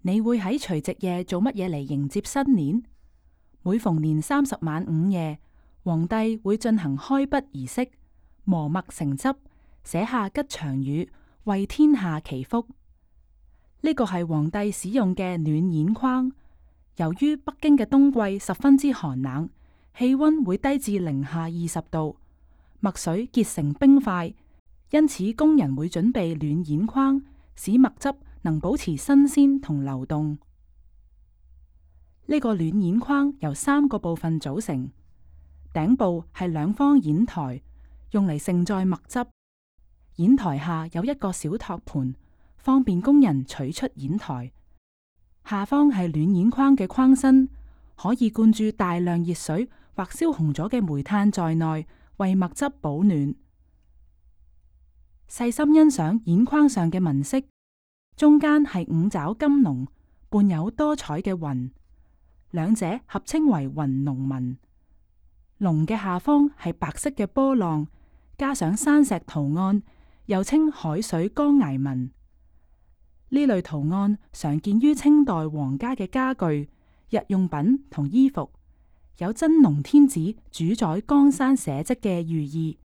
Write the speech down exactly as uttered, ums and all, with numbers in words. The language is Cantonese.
你會喺除夕夜做乜嘢嚟迎接新年？每逢年三十晚午夜，皇帝會進行開筆儀式，磨墨成汁，寫下吉祥語，為天下祈福。呢個係皇帝使用嘅暖氙框。由於北京嘅冬季十分之寒冷，氣溫會低至零下二十度，墨水結成冰塊，因此工人會準備暖氙框，使墨汁能保持新鮮同流動。呢個暖氙框由三個部分組成，頂部係兩方硯台，用嚟盛載墨汁。硯台下有一個小托盤，方便工人取出硯台。下方係暖氙框嘅框身，可以灌注大量熱水或燒紅咗嘅煤炭在內，為墨汁保暖。細心欣賞硯框上嘅紋飾，中間係五爪金龍，伴有多彩嘅雲，兩者合稱為雲龍紋。龍嘅下方係白色嘅波浪，加上山石圖案，又稱海水江崖紋。呢類圖案常見於清代皇家嘅家具、日用品同衣服，有真龍天子主宰江山寫迹嘅寓意。